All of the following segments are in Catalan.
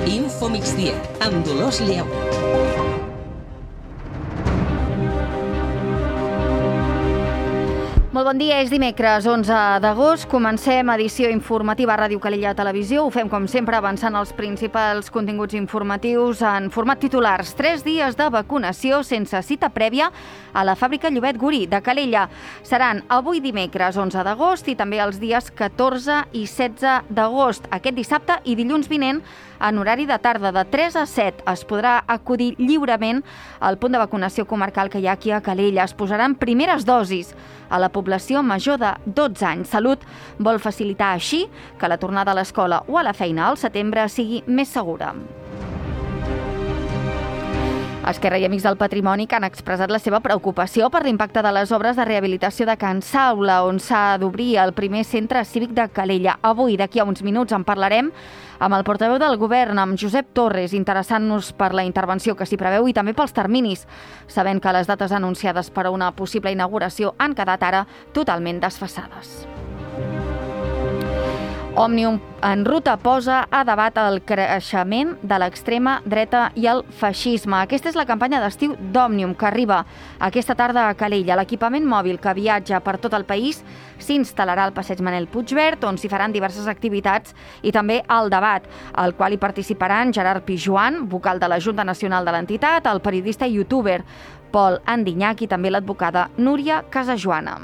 Info Migdia, amb Dolors Lleó. Molt bon dia, és dimecres 11 d'agost. Comencem edició informativa a Ràdio Calella Televisió. Ho fem, com sempre, avançant els principals continguts informatius en format titulars. 3 dies de vacunació sense cita prèvia a la fàbrica Llobet Gurí de Calella. Seran avui dimecres 11 d'agost i també els dies 14 i 16 d'agost. Aquest dissabte i dilluns vinent, en horari de tarda de 3 a 7, es podrà acudir lliurement al punt de vacunació comarcal que hi ha aquí a Calella. Es posaran primeres dosis a la població major de 12 anys. Salut vol facilitar així que la tornada a l'escola o a la feina al setembre sigui més segura. Esquerra i Amics del Patrimoni que han expressat la seva preocupació per l'impacte de les obres de rehabilitació de Can Saula, on s'ha d'obrir el primer centre cívic de Calella. Avui, d'aquí a uns minuts, en parlarem amb el portaveu del govern, amb Josep Torres, interessant-nos per la intervenció que s'hi preveu i també pels terminis, sabent que les dates anunciades per a una possible inauguració han quedat ara totalment desfasades. Òmnium en ruta posa a debat el creixement de l'extrema dreta i el feixisme. Aquesta és la campanya d'estiu d'Òmnium, que arriba aquesta tarda a Calella. L'equipament mòbil que viatja per tot el país s'instal·larà al passeig Manel Puigverd, on s'hi faran diverses activitats, i també el debat, al qual hi participaran Gerard Pijuan, vocal de la Junta Nacional de l'entitat, el periodista i youtuber Pol Andiñach i també l'advocada Núria Casajoana.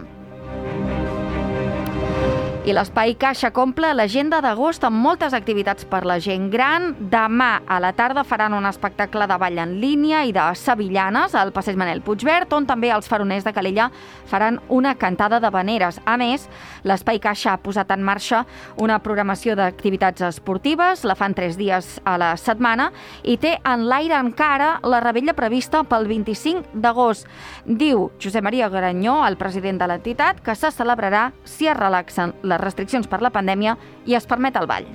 I l'Espai Caixa compla l'agenda d'agost amb moltes activitats per la gent gran. Demà a la tarda faran un espectacle de ball en línia i de sevillanes al passeig Manel Puigverd, on també els faroners de Calella faran una cantada d'havaneres. A més, l'Espai Caixa ha posat en marxa una programació d'activitats esportives, la fan 3 dies a la setmana, i té en l'aire encara la revetlla prevista pel 25 d'agost. Diu Josep Maria Granyó, el president de l'entitat, que se celebrarà si es relaxen les restriccions per la pandèmia i es permet el ball.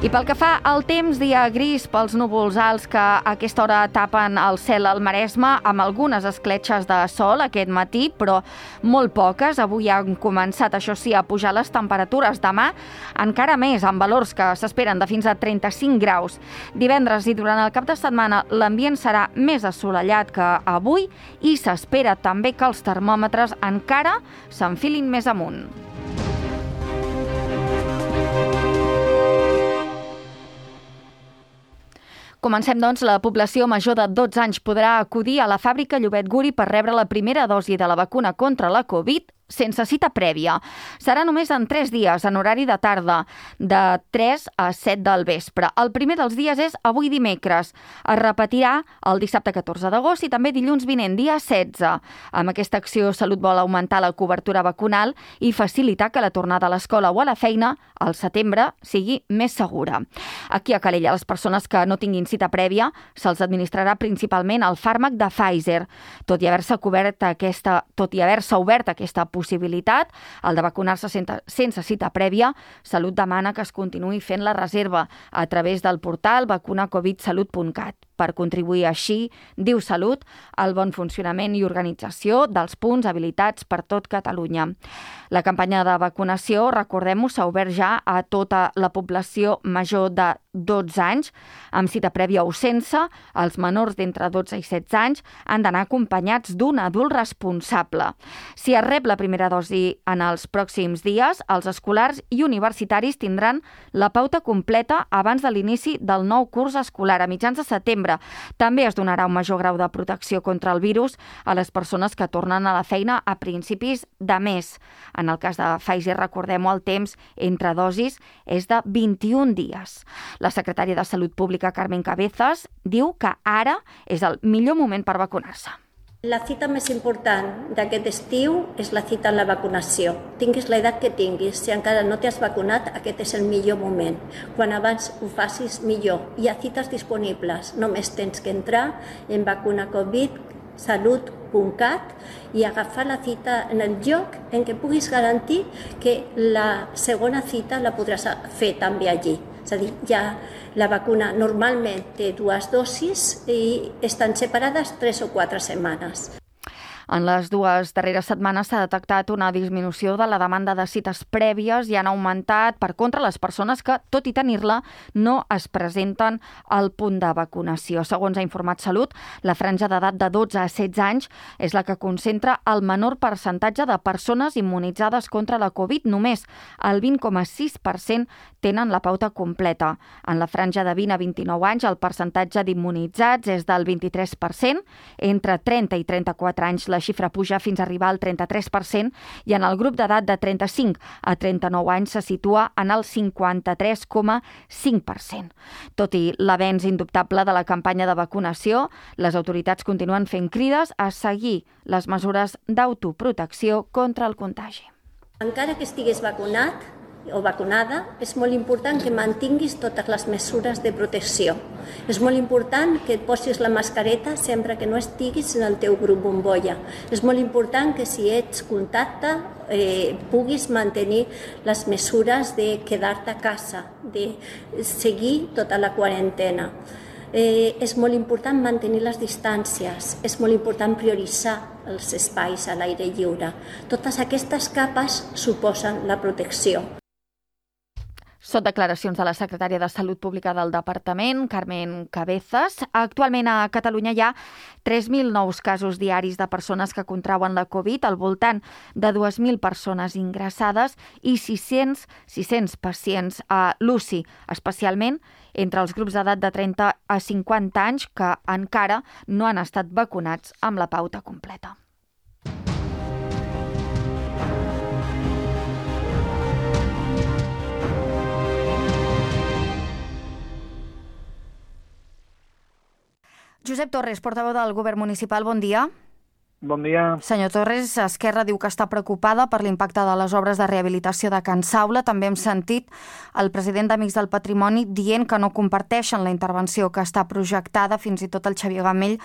I pel que fa al temps, dia gris pels núvols alts que a aquesta hora tapen el cel al Maresme, amb algunes escletxes de sol aquest matí, però molt poques. Avui han començat, això sí, a pujar les temperatures. Demà encara més, amb valors que s'esperen de fins a 35 graus. Divendres i durant el cap de setmana l'ambient serà més assolellat que avui i s'espera també que els termòmetres encara s'enfilin més amunt. Comencem, doncs. La població major de 12 anys podrà acudir a la fàbrica Llobet Gurí per rebre la primera dosi de la vacuna contra la Covid sense cita prèvia. Serà només en 3 dies, en horari de tarda, de 3 a 7 del vespre. El primer dels dies és avui dimecres. Es repetirà el dissabte 14 d'agost i també dilluns vinent, dia 16. Amb aquesta acció, Salut vol augmentar la cobertura vacunal i facilitar que la tornada a l'escola o a la feina al setembre sigui més segura. Aquí a Calella, les persones que no tinguin cita prèvia se'ls administrarà principalment el fàrmac de Pfizer. Tot i haver-se obert aquesta possibilitat, el de vacunar-se sense cita prèvia, Salut demana que es continuï fent la reserva a través del portal vacunacovidsalut.cat per contribuir així, diu Salut, al bon funcionament i organització dels punts habilitats per tot Catalunya. La campanya de vacunació, recordem-ho, s'ha obert ja a tota la població major de 12 anys, amb cita prèvia o sense. Els menors d'entre 12 i 16 anys han d'anar acompanyats d'un adult responsable. Si es rep la primera dosi en els pròxims dies, els escolars i universitaris tindran la pauta completa abans de l'inici del nou curs escolar a mitjans de setembre. També es donarà un major grau de protecció contra el virus a les persones que tornen a la feina a principis de mes. En el cas de Pfizer, recordem-ho, el temps entre dosis és de 21 dies. La secretària de Salut Pública, Carmen Cabezas, diu que ara és el millor moment per vacunar-se. La cita més important d'aquest estiu és la cita en la vacunació. Tinguis l'edat que tinguis, si encara no t'has vacunat, aquest és el millor moment. Quan abans ho facis, millor. Hi ha cites disponibles. Només tens que entrar en vacunacovidsalut.cat i agafar la cita en el lloc en què puguis garantir que la segona cita la podràs fer també allí. És a dir, ja la vacuna normalment té 2 dosis i estan separades 3 o 4 setmanes. En les 2 darreres setmanes s'ha detectat una disminució de la demanda de cites prèvies i han augmentat, per contra, les persones que, tot i tenir-la, no es presenten al punt de vacunació. Segons ha informat Salut, la franja d'edat de 12 a 16 anys és la que concentra el menor percentatge de persones immunitzades contra la Covid. Només el 20,6% tenen la pauta completa. En la franja de 20 a 29 anys, el percentatge d'immunitzats és del 23%. Entre 30 i 34 anys, la xifra puja fins a arribar al 33% i en el grup d'edat de 35 a 39 anys se situa en el 53,5%. Tot i l'avenç indubtable de la campanya de vacunació, les autoritats continuen fent crides a seguir les mesures d'autoprotecció contra el contagi. Encara que estiguis vacunat o vacunada, és molt important que mantinguis totes les mesures de protecció. És molt important que et posis la mascareta sempre que no estiguis en el teu grup bombolla. És molt important que si ets contacte puguis mantenir les mesures de quedar-te a casa, de seguir tota la quarantena. És molt important mantenir les distàncies, és molt important prioritzar els espais a l'aire lliure. Totes aquestes capes suposen la protecció. Són declaracions de la secretària de Salut Pública del Departament, Carmen Cabezas. Actualment a Catalunya hi ha 3.000 nous casos diaris de persones que contrauen la Covid, al voltant de 2.000 persones ingressades i 600 pacients a l'UCI, especialment entre els grups d'edat de 30 a 50 anys que encara no han estat vacunats amb la pauta completa. Josep Torres, portaveu del Govern Municipal, bon dia. Bon dia. Senyor Torres, Esquerra diu que està preocupada per l'impacte de les obres de rehabilitació de Can Saula. També hem sentit el president d'Amics del Patrimoni dient que no comparteixen la intervenció que està projectada, fins i tot el Xavier Gamell,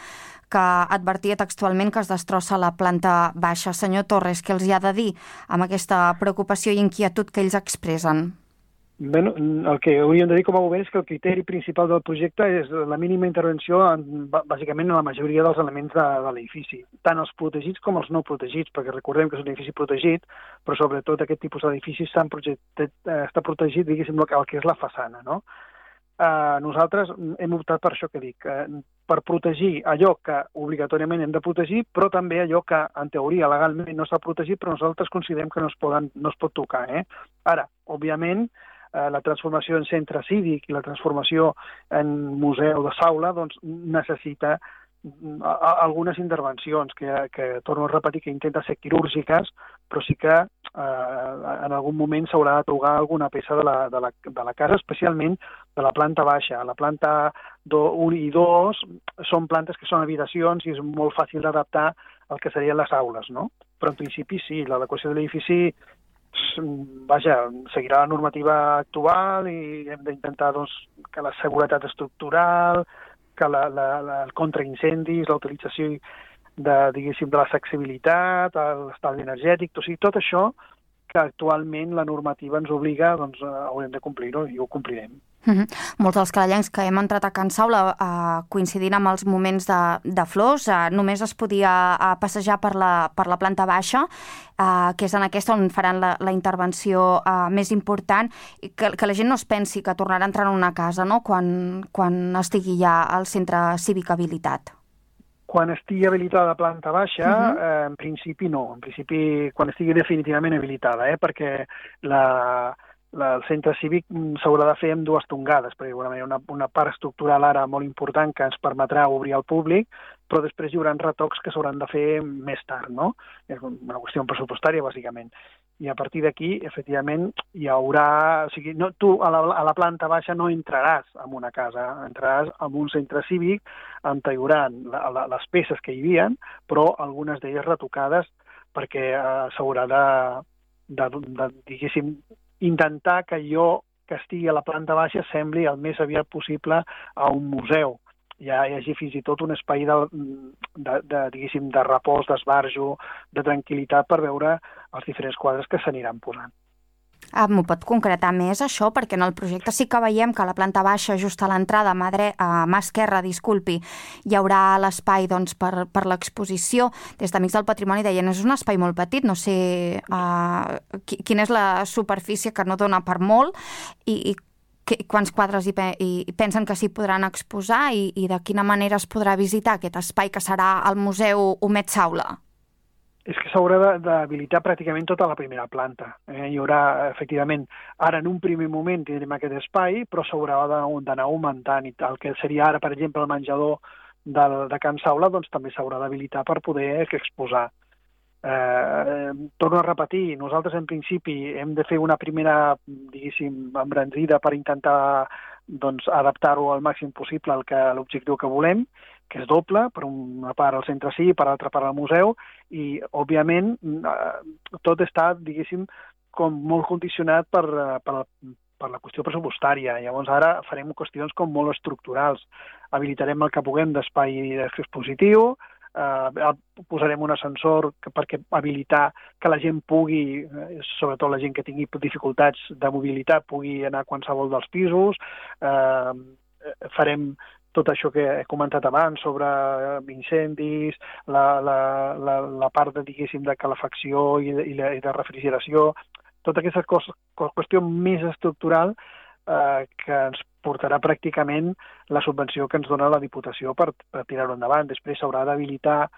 que advertia textualment que es destrossa la planta baixa. Senyor Torres, què els hi ha de dir amb aquesta preocupació i inquietud que ells expressen? Bé, el que hauríem de dir com a govern és que el criteri principal del projecte és la mínima intervenció bàsicament en la majoria dels elements de l'edifici, tant els protegits com els no protegits, perquè recordem que és un edifici protegit, però sobretot aquest tipus d'edificis està protegit, diguéssim, el que és la façana, no? Nosaltres hem optat per això que dic, per protegir allò que obligatòriament hem de protegir, però també allò que, en teoria, legalment no s'ha protegit, però nosaltres considerem que no es pot tocar. Ara, òbviament, la transformació en centre cívic i la transformació en museu de Saula doncs, necessita algunes intervencions que torno a repetir, que intenten ser quirúrgiques, però sí que en algun moment s'haurà de tocar alguna peça de la casa, especialment de la planta baixa. La planta 1 i 2 són plantes que són habitacions i és molt fàcil d'adaptar al que serien les aules, no? Però en principi sí, l'adequació de l'edifici seguirà la normativa actual i hem d'intentar que la seguretat estructural, que el contraincendis, la utilització de l'accessibilitat, l'estalvi energètic, o sigui, tot això que actualment la normativa ens obliga, doncs haurem de complir-ho i ho complirem. Molts dels calallencs que hem entrat a Can Saula coincidint amb els moments de flors, només es podia passejar per la planta baixa, que és en aquesta on faran la intervenció més important, i que la gent no es pensi que tornarà a entrar en una casa, no?, quan estigui ja al centre cívic habilitat. Quan estigui habilitada la planta baixa, en principi no. En principi, quan estigui definitivament habilitada, perquè el centre cívic s'haurà de fer amb 2 tongades, perquè hi haurà una part estructural ara molt important que ens permetrà obrir al públic, però després hi haurà retocs que s'hauran de fer més tard, no? És una qüestió pressupostària, bàsicament. I a partir d'aquí, efectivament, hi haurà... O sigui, tu a la planta baixa no entraràs en una casa, entraràs en un centre cívic on hi haurà les peces que hi havia, però algunes d'elles retocades perquè s'haurà de, diguéssim, intentar que allò que estigui a la planta baixa sembli el més aviat possible a un museu. Ja hi hagi fins i tot un espai diguéssim, de repòs, d'esbarjo, de tranquil·litat per veure els diferents quadres que s'aniran posant. M'ho pot concretar més, això? Perquè en el projecte sí que veiem que a la planta baixa, just a l'entrada, a mà esquerra, hi haurà l'espai per l'exposició. Des d'Amics del Patrimoni deien, és un espai molt petit, no sé quina és la superfície, que no dona per molt, i quants quadres i pensen que s'hi podran exposar i de quina manera es podrà visitar aquest espai que serà el Museu Homet Saula? És que s'haurà d'habilitar pràcticament tota la primera planta. Hi haurà, efectivament, ara en un primer moment tindrem aquest espai, però s'haurà d'anar augmentant. I el que seria ara, per exemple, el menjador de Can Saula, doncs també s'haurà d'habilitar per poder exposar. Torno a repetir, nosaltres en principi hem de fer una primera, diguéssim, embranzida per intentar adaptar-ho al màxim possible a l'objectiu que volem, que és doble, per una part al centre sí, per l'altra part al museu, i, òbviament, tot està, diguéssim, com molt condicionat per la qüestió pressupostària. Llavors, ara farem qüestions com molt estructurals. Habilitarem el que puguem d'espai expositiu, posarem un ascensor perquè habilitar que la gent pugui, sobretot la gent que tingui dificultats de mobilitat, pugui anar a qualsevol dels pisos. Farem tot això que he comentat abans sobre incendis, la part, diguéssim, de calefacció i de refrigeració, tota aquesta qüestió més estructural que ens portarà pràcticament la subvenció que ens dona la Diputació per tirar-ho endavant. Després s'haurà d'habilitar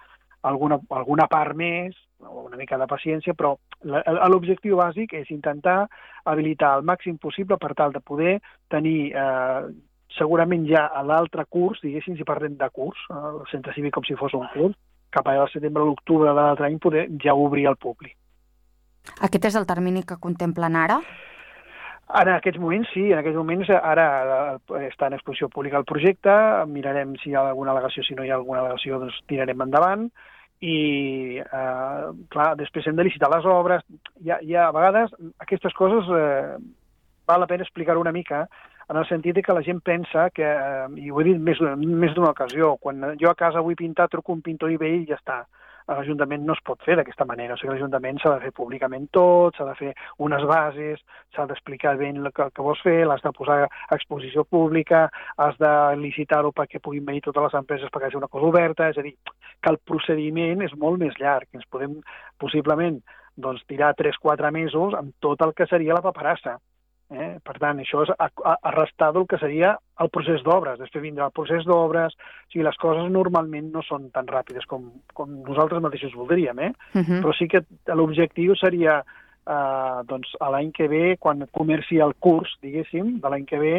alguna part més, una mica de paciència, però l'objectiu bàsic és intentar habilitar el màxim possible per tal de poder tenir segurament ja a l'altre curs, diguéssim, si parlem de curs, al centre cívic com si fos un curs, cap allà al setembre o l'octubre de l'altre any poder ja obrir al públic. Aquest és el termini que contemplen ara? En aquests moments, sí. En aquests moments ara està en exposició pública el projecte, mirarem si hi ha alguna al·legació, si no hi ha alguna al·legació, doncs tirarem endavant, i, clar, després hem de licitar les obres. A vegades aquestes coses val la pena explicar una mica, en el sentit que la gent pensa que, i ho he dit més d'una ocasió, quan jo a casa vull pintar, truco un pintor i ve i ja està. A l'Ajuntament no es pot fer d'aquesta manera. O sigui, l'Ajuntament s'ha de fer públicament tot, s'ha de fer unes bases, s'ha d'explicar ben el que vols fer, l'has de posar a exposició pública, has de licitar-ho perquè puguin venir totes les empreses perquè sigui una cosa oberta, és a dir, que el procediment és molt més llarg. Ens podem possiblement tirar 3-4 mesos amb tot el que seria la paperassa. Per tant, això és arrestar del que seria el procés d'obres. Després vindrà el procés d'obres. O sigui, les coses normalment no són tan ràpides com nosaltres mateixos voldríem, però sí que l'objectiu seria a l'any que ve, quan comenci el curs, diguéssim, de l'any que ve,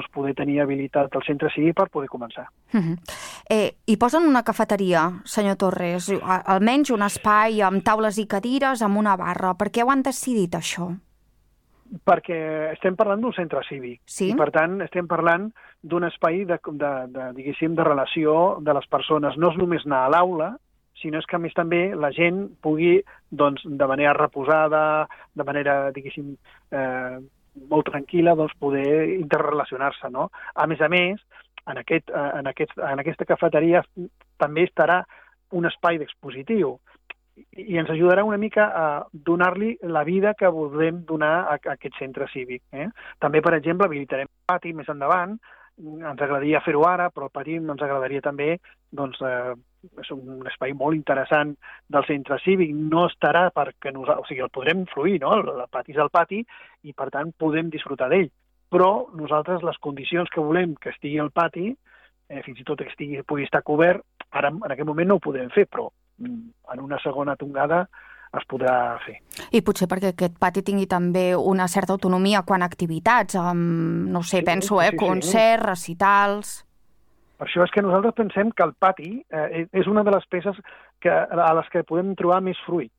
poder tenir habilitat el centre cívic per poder començar. Hi posen una cafeteria, senyor Torres, almenys un espai amb taules i cadires, amb una barra. Per què ho han decidit, això? Perquè estem parlant d'un centre cívic, sí? I per tant estem parlant d'un espai diguéssim, de relació de les persones. No és només anar a l'aula, sinó és que a més també la gent pugui, de manera reposada, de manera, diguéssim, molt tranquil·la, poder interrelacionar-se, no? A més, en aquesta cafeteria també estarà un espai d'expositiu, i ens ajudarà una mica a donar-li la vida que volem donar a aquest centre cívic. També, per exemple, habilitarem el pati més endavant. Ens agradaria fer-ho ara, però el pati ens agradaria també, és un espai molt interessant del centre cívic. No estarà perquè nosaltres, o sigui, el podrem influir, no? El pati és el pati i, per tant, podem disfrutar d'ell. Però nosaltres les condicions que volem que estigui al pati, fins i tot que pugui estar cobert, ara en aquest moment no ho podem fer, però en una segona tongada es podrà fer. I potser perquè aquest pati tingui també una certa autonomia quan a activitats, no sé, penso, concerts, recitals... Per això és que nosaltres pensem que el pati és una de les peces a les que podem trobar més fruit.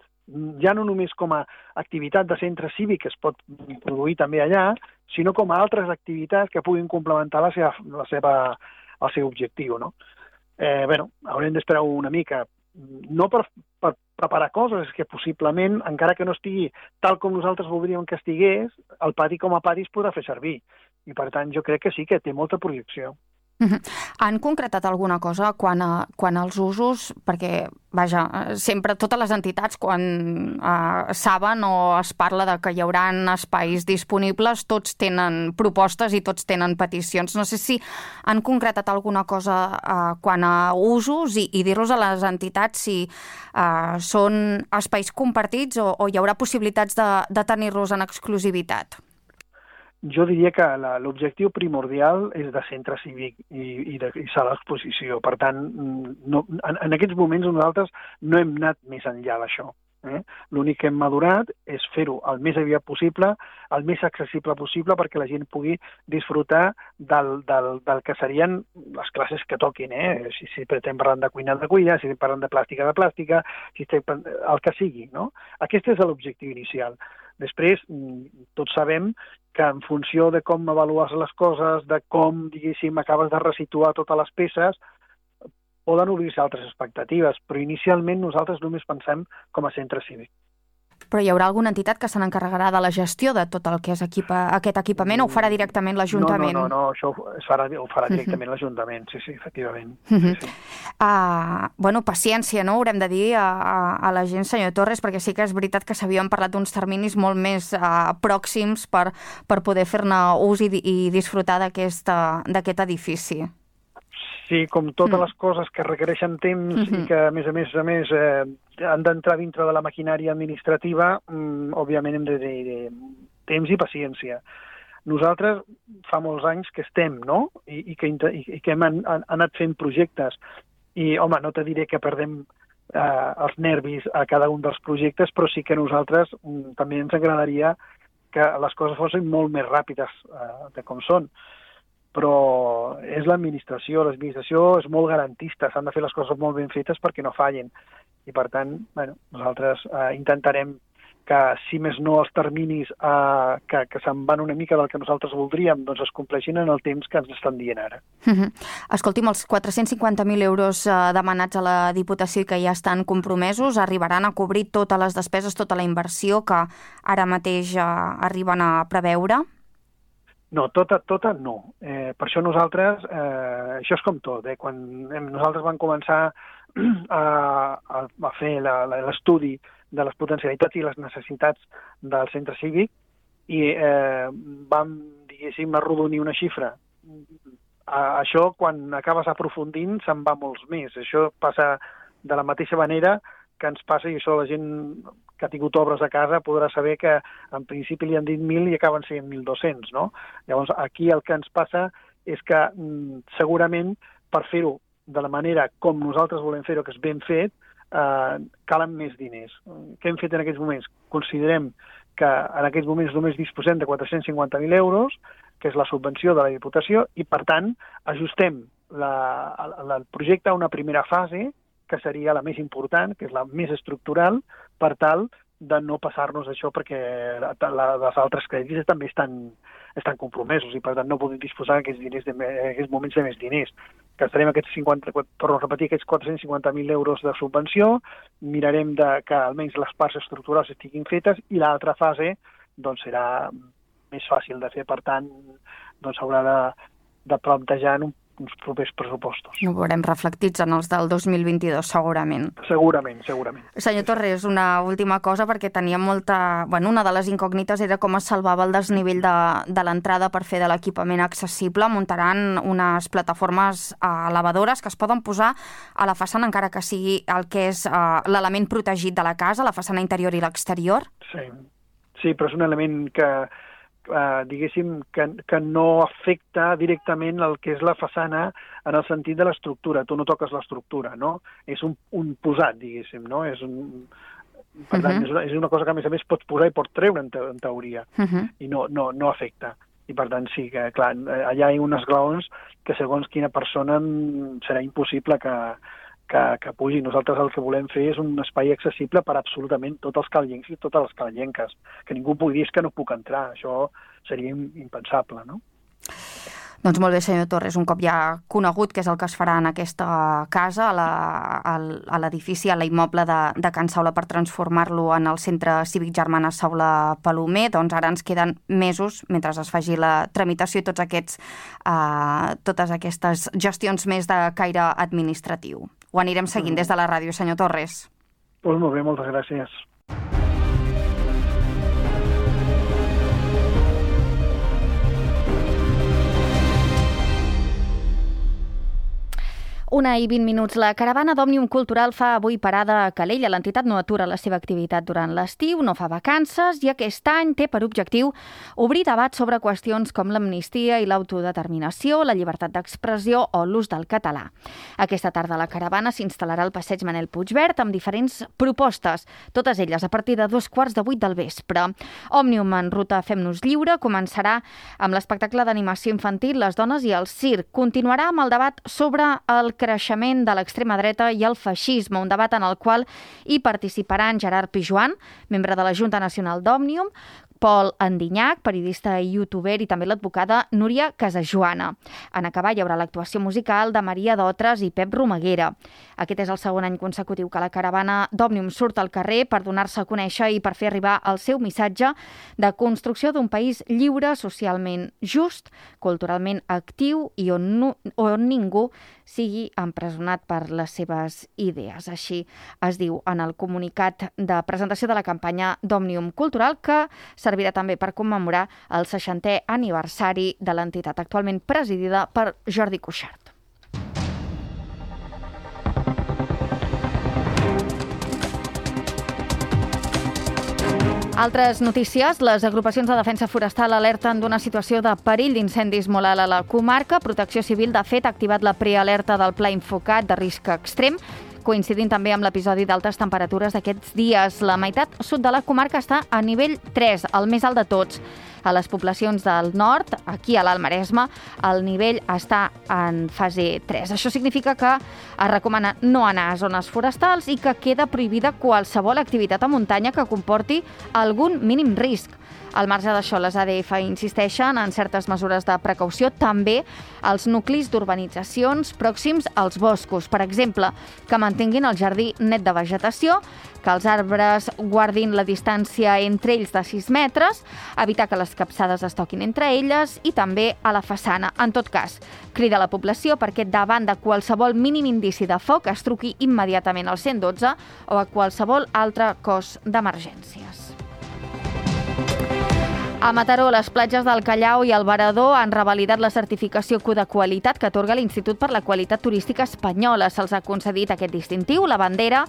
Ja no només com a activitat de centre cívic que es pot produir també allà, sinó com a altres activitats que puguin complementar el seu objectiu, no? Haurem d'esperar una mica, no per preparar coses, és que possiblement, encara que no estigui tal com nosaltres voldríem que estigués, el pati com a pati es podrà fer servir. I per tant jo crec que sí que té molta projecció. Han concretat alguna cosa quan als usos? Perquè, vaja, sempre totes les entitats, quan saben o es parla de que hi haurà espais disponibles, tots tenen propostes i tots tenen peticions. No sé si han concretat alguna cosa quan a usos i dir-los a les entitats si són espais compartits o hi haurà possibilitats de tenir-los en exclusivitat. Jo diria que l'objectiu primordial és de centre cívic i sala d'exposició. Per tant, en aquests moments nosaltres no hem anat més enllà d'això. L'únic que hem madurat és fer-ho el més aviat possible, el més accessible possible, perquè la gent pugui disfrutar del que serien les classes que toquin. Si estem parlant de cuina, si estem parlant de plàstica, si estem el que sigui. No? Aquest és l'objectiu inicial. Després, tots sabem que en funció de com avalues les coses, de com, diguéssim, acabes de resituar totes les peces, poden obrir-se altres expectatives, però inicialment nosaltres només pensem com a centre cívic. Però hi haurà alguna entitat que se n'encarregarà de la gestió de tot el que és aquest equipament o ho farà directament l'Ajuntament? No, això ho farà directament l'Ajuntament, sí, efectivament. Sí. Bueno, paciència, no? Haurem de dir a la gent, senyor Torres, perquè sí que és veritat que s'havien parlat d'uns terminis molt més pròxims per poder fer-ne ús i disfrutar d'aquest edifici. Sí, com totes les coses que requereixen temps i que, a més, han d'entrar dintre de la maquinària administrativa, òbviament hem de dir temps i paciència. Nosaltres fa molts anys que estem, no?, i que hem anat fent projectes. I, home, no te diré que perdem els nervis a cada un dels projectes, però sí que a nosaltres també ens agradaria que les coses fossin molt més ràpides de com són. Però és l'administració és molt garantista, s'han de fer les coses molt ben fetes perquè no fallen. I per tant, nosaltres intentarem que, si més no, els terminis que se'n van una mica del que nosaltres voldríem, doncs es compleixin en el temps que ens estan dient ara. Escolti'm, els 450.000 euros demanats a la Diputació i que ja estan compromesos arribaran a cobrir totes les despeses, tota la inversió que ara mateix arriben a preveure? No, tota no. Per això nosaltres, això és com tot. Quan nosaltres vam començar a fer l'estudi de les potencialitats i les necessitats del centre cívic i vam, diguéssim, arrodonir una xifra. Això, quan acabes aprofundint, se'n va molts més. Això passa de la mateixa manera que ens passa, i això la gent que ha tingut obres a casa podrà saber que en principi li han dit 1.000 i acaben sent 1.200, no? Llavors, aquí el que ens passa és que segurament per fer-ho de la manera com nosaltres volem fer-ho, que és ben fet, calen més diners. Què hem fet en aquests moments? Considerem que en aquests moments només disposem de 450.000 euros, que és la subvenció de la Diputació, i per tant ajustem el projecte a una primera fase, que seria la més important, que és la més estructural, per tal de no passar-nos això, perquè els altres crèdits també estan compromesos i per tant no podem disposar en aquests moments de més diners. Gastarem torno a repetir, aquests 450.000 euros de subvenció, mirarem que almenys les parts estructurals estiguin fetes i l'altra fase doncs, serà més fàcil de fer, per tant s'haurà de plantejar en uns propers pressupostos. Ho veurem reflectits en els del 2022, segurament. Segurament. Senyor Torres, una última cosa, perquè tenia molta... una de les incògnites era com es salvava el desnivell de l'entrada per fer de l'equipament accessible. Muntaran unes plataformes elevadores que es poden posar a la façana, encara que sigui el que és l'element protegit de la casa, la façana interior i l'exterior? Sí, però és un element que diguéssim, que no afecta directament el que és la façana en el sentit de l'estructura. Tu no toques l'estructura, no? És un posat, diguéssim, no? Per tant, és una cosa que, a més, pots posar i pots treure, en teoria, i no afecta. I, per tant, sí, que, clar, allà hi ha uns esglaons que, segons quina persona, serà impossible que pugi. Nosaltres el que volem fer és un espai accessible per absolutament tots els callencs i totes les callenques. Que ningú pugui dir que no puc entrar. Això seria impensable, no? Doncs molt bé, senyor Torres, un cop ja conegut què és el que es farà en aquesta casa, a l'edifici, a l'immoble de Can Saula per transformar-lo en el Centre Cívic Germana Saula Palomer, doncs ara ens queden mesos mentre es faci la tramitació i totes aquestes gestions més de caire administratiu. Ho anirem seguint des de la ràdio, senyor Torres. Doncs molt bé, moltes gràcies. Una i 20 minuts. La caravana d'Òmnium Cultural fa avui parada a Calella. L'entitat no atura la seva activitat durant l'estiu, no fa vacances i aquest any té per objectiu obrir debat sobre qüestions com l'amnistia i l'autodeterminació, la llibertat d'expressió o l'ús del català. Aquesta tarda la caravana s'instal·larà al passeig Manel Puigverd amb diferents propostes, totes elles a partir de 7:15 del vespre. Òmnium en ruta Fem-nos lliure començarà amb l'espectacle d'animació infantil Les dones i el circ. Continuarà amb el debat sobre el creixement de l'extrema dreta i el feixisme, un debat en el qual hi participaran Gerard Pijuan, membre de la Junta Nacional d'Òmnium, Pol Andinyac, periodista i youtuber, i també l'advocada Núria Casajoana. En acabar hi haurà l'actuació musical de Maria Dotres i Pep Romaguera. Aquest és el segon any consecutiu que la caravana d'Òmnium surt al carrer per donar-se a conèixer i per fer arribar el seu missatge de construcció d'un país lliure, socialment just, culturalment actiu i on ningú sigui empresonat per les seves idees. Així es diu en el comunicat de presentació de la campanya d'Òmnium Cultural, que servirà també per commemorar el 60è aniversari de l'entitat, actualment presidida per Jordi Cuixart. Altres notícies. Les agrupacions de defensa forestal alerten d'una situació de perill d'incendis molt alt a la comarca. Protecció Civil, de fet, ha activat la prealerta del Pla Infocat de risc extrem, coincidint també amb l'episodi d'altes temperatures d'aquests dies. La meitat sud de la comarca està a nivell 3, el més alt de tots. A les poblacions del nord, aquí a l'Alt Maresme, el nivell està en fase 3. Això significa que es recomana no anar a zones forestals i que queda prohibida qualsevol activitat a muntanya que comporti algun mínim risc. Al marge d'això, les ADF insisteixen en certes mesures de precaució també als nuclis d'urbanitzacions pròxims als boscos. Per exemple, que mantinguin el jardí net de vegetació, que els arbres guardin la distància entre ells de 6 metres, evitar que les capçades es toquin entre elles i també a la façana. En tot cas, crida a la població perquè davant de qualsevol mínim indici de foc es truqui immediatament al 112 o a qualsevol altre cos d'emergències. A Mataró, les platges del Callao i el Varador han revalidat la certificació Q de qualitat que atorga l'Institut per la Qualitat Turística Espanyola. Se'ls ha concedit aquest distintiu, la bandera,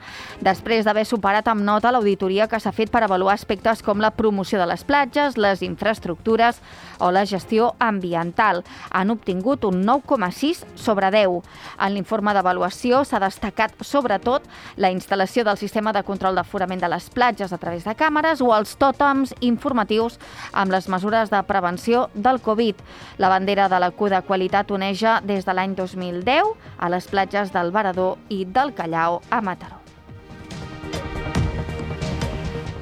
després d'haver superat amb nota l'auditoria que s'ha fet per avaluar aspectes com la promoció de les platges, les infraestructures o la gestió ambiental. Han obtingut un 9,6 sobre 10. En l'informe d'avaluació s'ha destacat sobretot la instal·lació del sistema de control d'aforament de les platges a través de càmeres o els tòtems informatius amb les mesures de prevenció del Covid. La bandera de la Q de qualitat oneja des de l'any 2010 a les platges del Varador i del Callao a Mataró.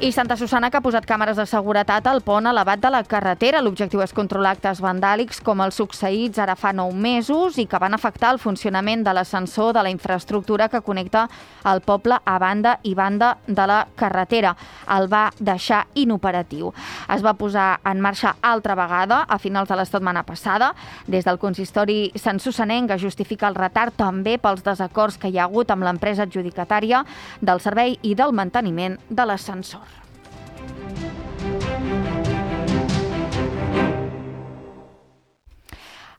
I Santa Susanna, que ha posat càmeres de seguretat al pont elevat de la carretera. L'objectiu és controlar actes vandàlics com els succeïts ara fa 9 mesos i que van afectar el funcionament de l'ascensor de la infraestructura que connecta el poble a banda i banda de la carretera. El va deixar inoperatiu. Es va posar en marxa altra vegada a finals de la setmana passada. Des del consistori santsussanenc es justifica el retard també pels desacords que hi ha hagut amb l'empresa adjudicatària del servei i del manteniment de l'ascensor.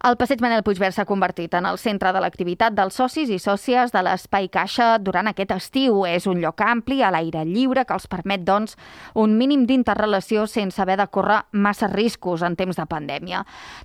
El passeig Manel Puigverd s'ha convertit en el centre de l'activitat dels socis i sòcies de l'Espai Caixa durant aquest estiu. És un lloc ampli, a l'aire lliure, que els permet, doncs, un mínim d'interrelació sense haver de córrer massa riscos en temps de pandèmia.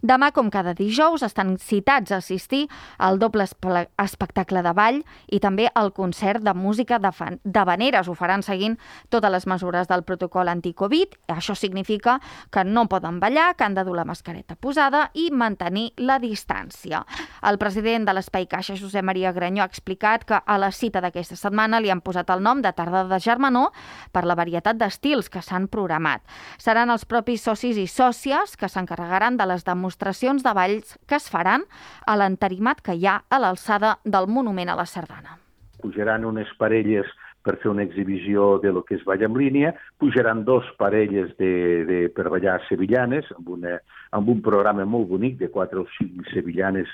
Demà, com cada dijous, estan citats a assistir al doble espectacle de ball i també al concert de música d'havaneres. Ho faran seguint totes les mesures del protocol anti-Covid. Això significa que no poden ballar, que han de dur la mascareta posada i mantenir la la distància. El president de l'Espai Caixa, Josep Maria Granyó, ha explicat que a la cita d'aquesta setmana li han posat el nom de Tarda de Germanor per la varietat d'estils que s'han programat. Seran els propis socis i sòcies que s'encarregaran de les demostracions de balls que es faran a l'entarimat que hi ha a l'alçada del Monument a la Sardana. Pujaran unes parelles per fer una exhibició de lo que és ball en línia, pujaran 2 parelles per ballar sevillanes, amb un programa molt bonic de 4 o 5 sevillanes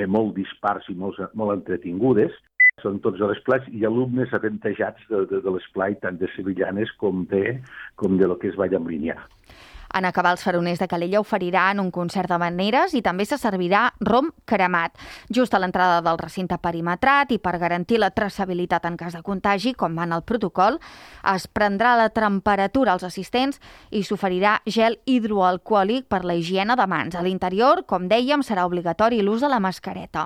molt dispars i molt entretingudes. Són tots a l'esplai i alumnes avantatjats de l'esplai, tant de sevillanes com de lo que és ball en línia. En acabar, els faroners de Calella oferiran un concert d'havaneres i també se servirà rom cremat. Just a l'entrada del recinte perimetrat i per garantir la traçabilitat en cas de contagi, com va en el protocol, es prendrà la temperatura als assistents i s'oferirà gel hidroalcohòlic per la higiene de mans. A l'interior, com dèiem, serà obligatori l'ús de la mascareta.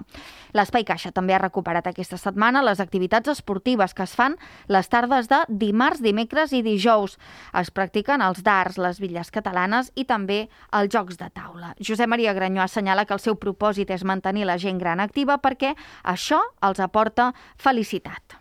L'Espai Caixa també ha recuperat aquesta setmana les activitats esportives que es fan les tardes de dimarts, dimecres i dijous. Es practiquen els darts, les bitlles catalanes i també els jocs de taula. Josep Maria Granyó assenyala que el seu propòsit és mantenir la gent gran activa perquè això els aporta felicitat.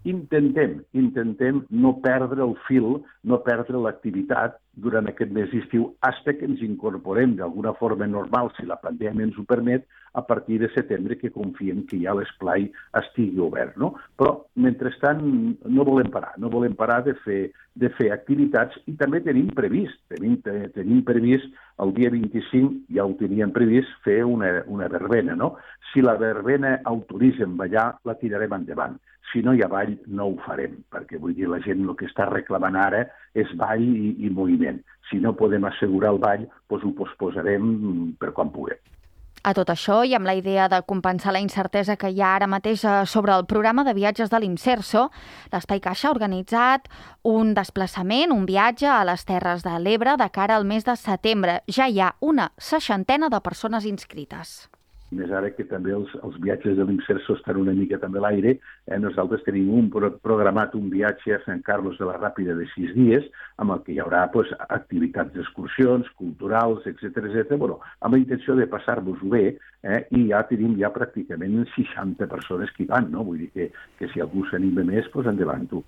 Intentem no perdre el fil, no perdre l'activitat durant aquest mes d'estiu, fins que ens incorporem d'alguna forma normal, si la pandèmia ens ho permet, a partir de setembre, que confiem que ja l'esplai estigui obert, no? Però, mentrestant, no volem parar de fer activitats i també tenim previst el dia 25, ja ho teníem previst, fer una verbena, no? Si la verbena autoritza en ballar, la tirarem endavant. Si no hi ha ball, no ho farem, perquè vull dir, la gent el que està reclamant ara és ball i moviment. Si no podem assegurar el ball, doncs ho posposarem per quan puguem. A tot això, i amb la idea de compensar la incertesa que hi ha ara mateix sobre el programa de viatges de l'Imserso, l'Espai Caixa ha organitzat un desplaçament, un viatge a les Terres de l'Ebre de cara al mes de setembre. Ja hi ha una 60 de persones inscrites. Més ara que també els viatges de l'Imserso estan una mica també a l'aire, nosaltres tenim programat un viatge a Sant Carlos de la Ràpida de 6 dies, amb el que hi haurà activitats d'excursions, culturals, etc. Bueno, amb la intenció de passar-vos-ho bé, i ja tenim pràcticament 60 persones que hi van, no? Vull dir que si algú s'anima més, doncs endavant tu.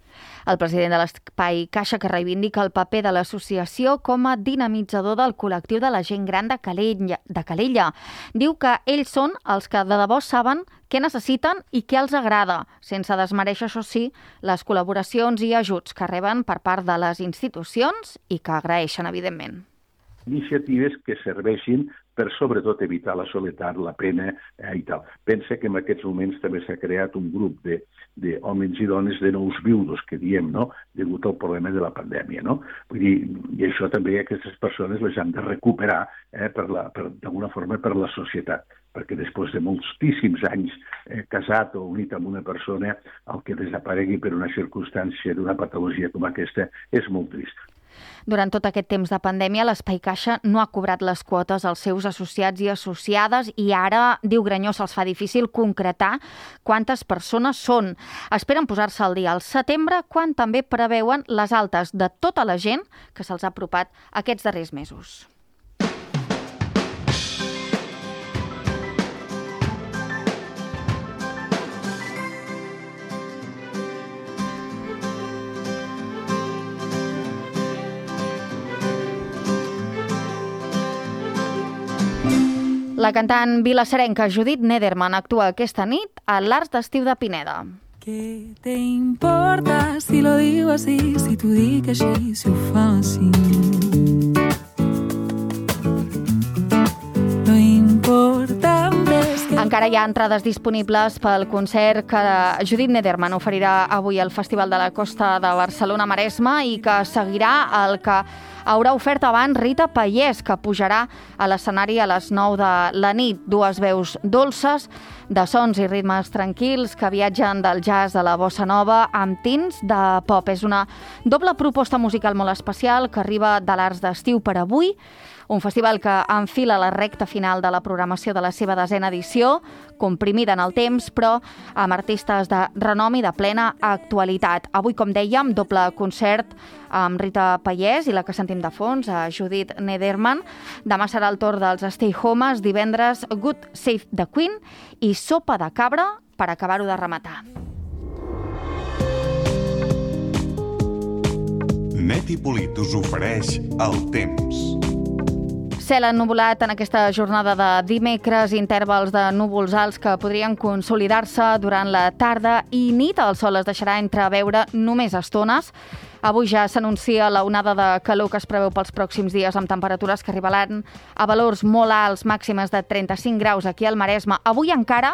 El president de l'Espai Caixa, que reivindica el paper de l'associació com a dinamitzador del col·lectiu de la gent gran de Calella, diu que ells són els que de debò saben què necessiten i què els agrada, sense desmereixer, això sí, les col·laboracions i ajuts que reben per part de les institucions i que agraeixen, evidentment. Iniciatives que serveixin per sobretot evitar la soledat, la pena i tal. Pensa que en aquests moments també s'ha creat un grup d'homes i dones de nous viudos, que diem, no?, degut al problema de la pandèmia, no? Vull dir, i això també aquestes persones les han de recuperar d'alguna forma per la societat, perquè després de moltíssims anys casat o unit amb una persona, el que desaparegui per una circumstància d'una patologia com aquesta és molt trist. Durant tot aquest temps de pandèmia, l'Espai Caixa no ha cobrat les quotes als seus associats i associades i ara, diu Granyó, se'ls fa difícil concretar quantes persones són. Esperen posar-se al dia al setembre, quan també preveuen les altes de tota la gent que se'ls ha apropat aquests darrers mesos. La cantant vilassarenca Judit Nederman actua aquesta nit a l'Arts d'Estiu de Pineda. ¿Qué te importa si lo digo así, si t'ho dic així, si ho fa així? Lo important és que... Encara hi ha entrades disponibles pel concert que Judit Nederman oferirà avui al Festival de la Costa de Barcelona-Maresme i que seguirà el que haurà ofert abans Rita Pallès, que pujarà a l'escenari a les 9 de la nit. Dues veus dolces, de sons i ritmes tranquils que viatgen del jazz a la bossa nova amb tints de pop. És una doble proposta musical molt especial que arriba de l'Arts d'Estiu per avui, un festival que enfila la recta final de la programació de la seva 10ª edició, comprimida en el temps, però amb artistes de renom i de plena actualitat. Avui, com dèiem, doble concert amb Rita Payés i la que sentim de fons, Judith Nederman. Demà serà el torn dels Stay Homes, divendres God Save the Queen i Sopa de Cabra per acabar-ho de rematar. Neti Polit us ofereix el temps. Cel ennuvolat en aquesta jornada de dimecres, intervals de núvols alts que podrien consolidar-se durant la tarda i nit. El sol es deixarà entreveure només estones. Avui ja s'anuncia la onada de calor que es preveu pels pròxims dies, amb temperatures que arribaran a valors molt alts, màximes de 35 graus aquí al Maresme. Avui encara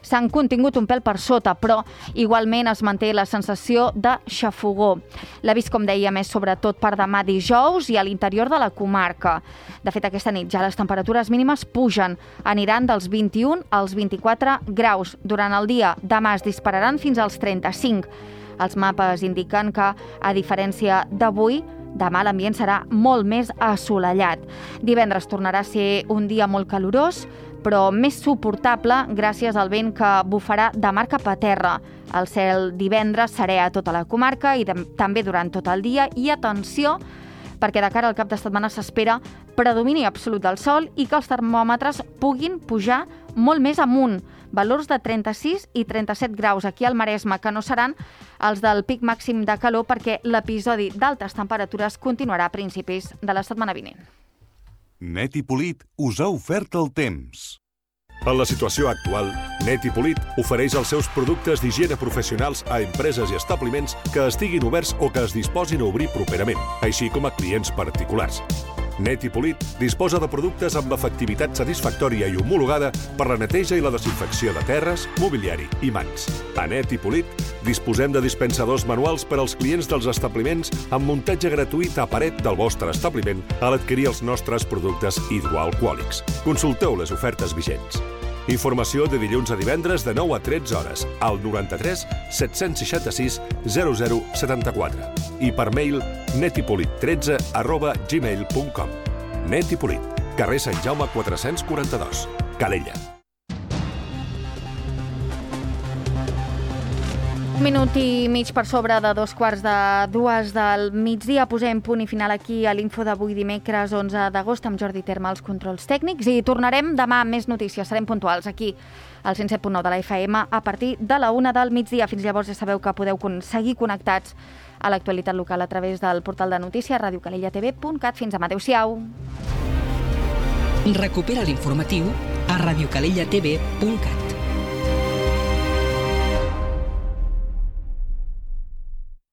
s'han contingut un pèl per sota, però igualment es manté la sensació de xafogor. L'avís, com dèiem, és sobretot per demà dijous i a l'interior de la comarca. De fet, aquesta nit ja les temperatures mínimes pugen, aniran dels 21 als 24 graus. Durant el dia, demà es dispararan fins als 35. Els mapes indiquen que, a diferència d'avui, demà l'ambient serà molt més assolellat. Divendres tornarà a ser un dia molt calorós, però més suportable gràcies al vent que bufarà de mar cap a terra. El cel divendres serè a tota la comarca i també durant tot el dia. I atenció, perquè de cara al cap de setmana s'espera predomini absolut del sol i que els termòmetres puguin pujar molt més amunt. Valors de 36 i 37 graus aquí al Maresme, que no seran els del pic màxim de calor perquè l'episodi d'altes temperatures continuarà a principis de la setmana vinent. Neti Polit us ha ofert el temps. En la situació actual, Neti Polit ofereix els seus productes d'higiene professionals a empreses i establiments que estiguin oberts o que es disposin a obrir properament, així com a clients particulars. Neti Polit disposa de productes amb l'efectivitat satisfactòria i homologada per la neteja i la desinfecció de terres, mobiliari i mans. A Neti Polit disposem de dispensadors manuals per als clients dels establiments amb muntatge gratuït a paret del vostre establiment a l'adquirir els nostres productes hidroalcohòlics. Consulteu les ofertes vigents. Informació de dilluns a divendres de 9 a 13 hores al 93 766 0074 i per mail netipolit13@gmail.com. Neti Polit, carrer Sant Jaume 442, Calella. Un minut i mig per sobre de 2:45 del migdia. Posem punt i final aquí a l'info d'avui dimecres 11 d'agost amb Jordi Terma als controls tècnics i tornarem demà amb més notícies. Serem puntuals aquí al 107.9 de la FM a partir de la 1 del migdia. Fins llavors ja sabeu que podeu seguir connectats a l'actualitat local a través del portal de notícies radiocalellatv.cat. Fins demà. Adéu-siau. Recupera l'informatiu a radiocalellatv.cat.